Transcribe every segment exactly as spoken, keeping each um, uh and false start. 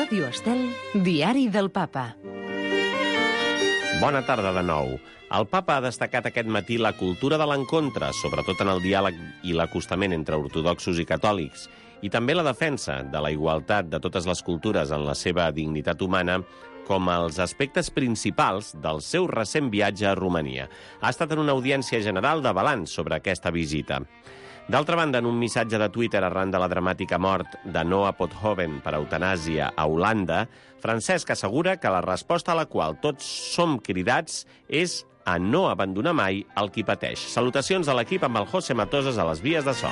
Ràdio Estel, Diari del Papa. Bona tarda de nou. El Papa ha destacat aquest matí la cultura de l'encontre, sobretot en el diàleg i l'acostament entre ortodoxos i catòlics, i també la defensa de la igualtat de totes les cultures en la seva dignitat humana com els aspectes principals del seu recent viatge a Romania. Ha estat en una audiència general de balanç sobre aquesta visita. D'altra banda, en un missatge de Twitter arran de la dramàtica mort de Noah Pothoven per eutanàsia a Holanda, Francesc assegura que la resposta a la qual tots som cridats és a no abandonar mai el qui pateix. Salutacions a l'equip amb el José Matosas a les vies de so.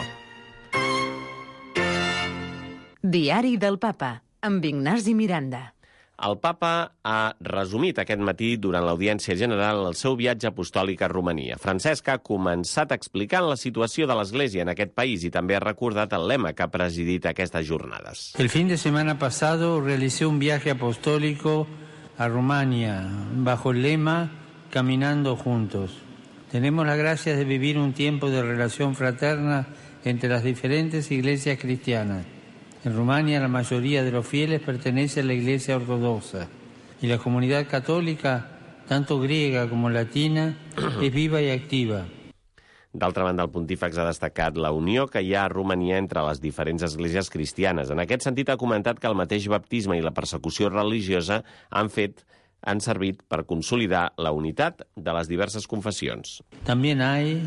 Diari del Papa, amb Ignasi Miranda. El Papa ha resumit aquest matí durant l'audiència general el seu viatge apostòlic a Romania. Francesc ha començat explicant la situació de l'Església en aquest país i també ha recordat el lema que ha presidit aquestes jornades. El fin de semana pasado realicé un viaje apostólico a Rumania bajo el lema Caminando Juntos. Tenemos la gracia de vivir un tiempo de relación fraterna entre las diferentes iglesias cristianas. En Rumania la mayoría de los fieles pertenece a la Iglesia Ortodoxa y la comunidad católica, tanto griega como latina, es viva y activa. D'altra banda, el pontífex ha destacat la unió que hi ha a Romania entre les diferents esglésies cristianes. En aquest sentit, ha comentat que el mateix baptisme i la persecució religiosa han fet han servit per consolidar la unitat de les diverses confessions. También hay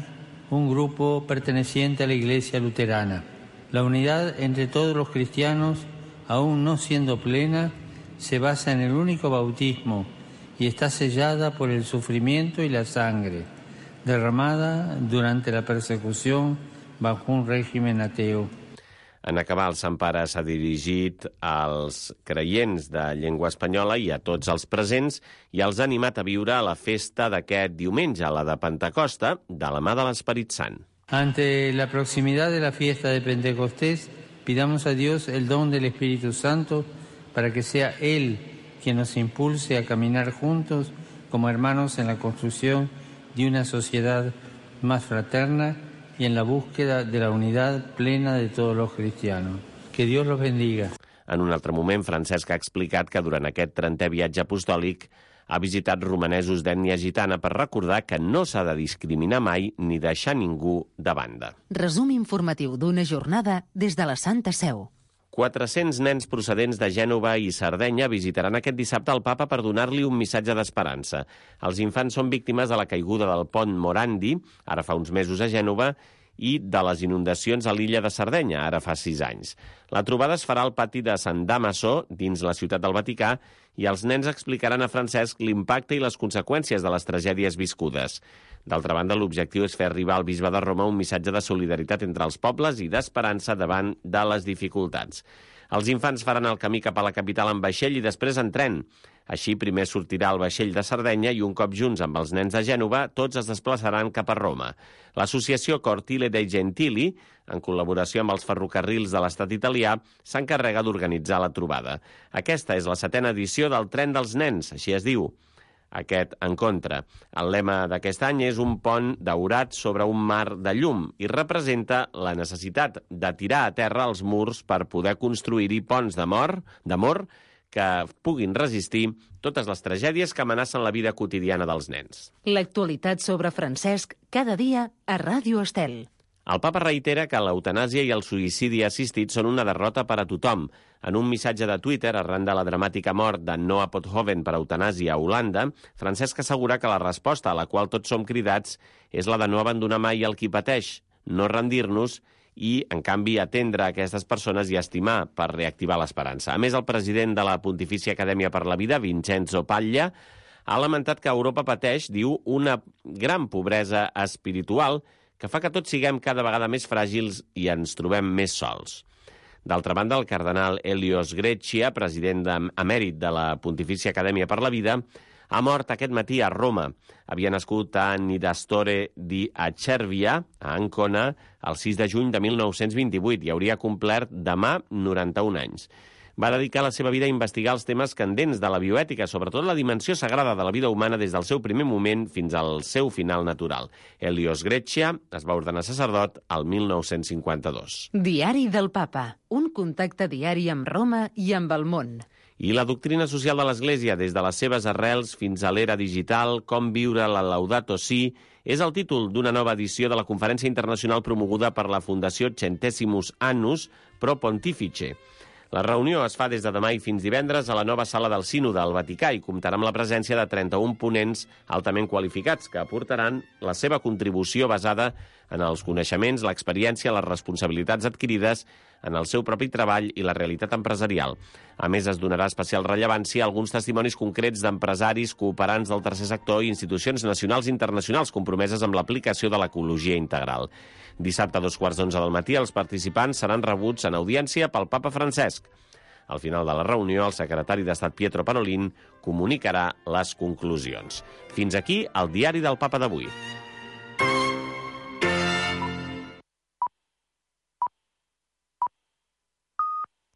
un grupo perteneciente a la Iglesia Luterana. La unidad entre todos los cristianos, aún no siendo plena, se basa en el único bautismo y está sellada por el sufrimiento y la sangre, derramada durante la persecución bajo un régimen ateo. En acabar, el Sant Pare s'ha dirigit als creients de llengua espanyola i a tots els presents i els ha animat a viure la festa d'aquest diumenge, la de Pentecosta, de la mà de l'Esperit Sant. Ante la proximidad de la fiesta de Pentecostés, pidamos a Dios el don del Espíritu Santo para que sea Él quien nos impulse a caminar juntos como hermanos en la construcción de una sociedad más fraterna y en la búsqueda de la unidad plena de todos los cristianos. Que Dios los bendiga. En un altre moment, Francesc ha explicat que durant aquest trentè viatge apostòlic ha visitat romanesos d'ètnia gitana per recordar que no s'ha de discriminar mai ni deixar ningú de banda. Resum informatiu d'una jornada des de la Santa Seu. quatre-cents nens procedents de Gènova i Sardenya visitaran aquest dissabte el Papa per donar-li un missatge d'esperança. Els infants són víctimes de la caiguda del pont Morandi, ara fa uns mesos a Gènova, i de les inundacions a l'illa de Sardenya, ara fa sis anys. La trobada es farà al pati de Sant Damaso, dins la ciutat del Vaticà, i els nens explicaran a Francesc l'impacte i les conseqüències de les tragèdies viscudes. D'altra banda, l'objectiu és fer arribar al bisbe de Roma un missatge de solidaritat entre els pobles i d'esperança davant de les dificultats. Els infants faran el camí cap a la capital en vaixell i després en tren. Així, primer sortirà el vaixell de Sardenya i un cop junts amb els nens de Gènova, tots es desplaçaran cap a Roma. L'associació Cortile dei Gentili, en col·laboració amb els ferrocarrils de l'estat italià, s'encarrega d'organitzar la trobada. Aquesta és la setena edició del Tren dels Nens, així es diu, aquest encontre. El lema d'aquest any és un pont daurat sobre un mar de llum i representa la necessitat de tirar a terra els murs per poder construir-hi ponts d'amor, d'amor que puguin resistir totes les tragèdies que amenacen la vida quotidiana dels nens. L'actualitat sobre Francesc cada dia a Ràdio Estel. El Papa reitera que l'eutanàsia i el suïcidi assistit són una derrota per a tothom. En un missatge de Twitter, arran de la dramàtica mort de Noah Pothoven per eutanàsia a Holanda, Francesc assegura que la resposta a la qual tots som cridats és la de no abandonar mai el qui pateix, no rendir-nos i, en canvi, atendre a aquestes persones i estimar per reactivar l'esperança. A més, el president de la Pontifícia Acadèmia per la Vida, Vincenzo Paglia, ha lamentat que Europa pateix, diu, una gran pobresa espiritual que fa que tots siguem cada vegada més fràgils i ens trobem més sols. D'altra banda, el cardenal Helios Greccia, president emèrit de la Pontifícia Acadèmia per la Vida, ha mort aquest matí a Roma. Havia nascut a Nidastore di Acervia, a Ancona, el sis de juny de mil nou-cents vint-i-vuit i hauria complert demà noranta-un anys. va dedicar la seva vida a investigar els temes candents de la bioètica, sobretot la dimensió sagrada de la vida humana des del seu primer moment fins al seu final natural. Helios Greccia es va ordenar sacerdot al mil nou-cents cinquanta-dos. Diari del Papa, un contacte diari amb Roma i amb el món. I la doctrina social de l'Església, des de les seves arrels fins a l'era digital, com viure la Laudato Si, és el títol d'una nova edició de la conferència internacional promoguda per la Fundació Centesimus Annus Pro Pontifice. La reunió es fa des de demà i fins divendres a la nova sala del Sínode al Vaticà i comptarà amb la presència de trenta-un ponents altament qualificats que aportaran la seva contribució basada en els coneixements, l'experiència, les responsabilitats adquirides en el seu propi treball i la realitat empresarial. A més, es donarà especial rellevància a alguns testimonis concrets d'empresaris, cooperants del tercer sector i institucions nacionals i internacionals compromeses amb l'aplicació de l'ecologia integral. Dissabte a dos quarts d'onze del matí, els participants seran rebuts en audiència pel papa Francesc. Al final de la reunió, el secretari d'Estat Pietro Parolin comunicarà les conclusions. Fins aquí el diari del Papa d'avui.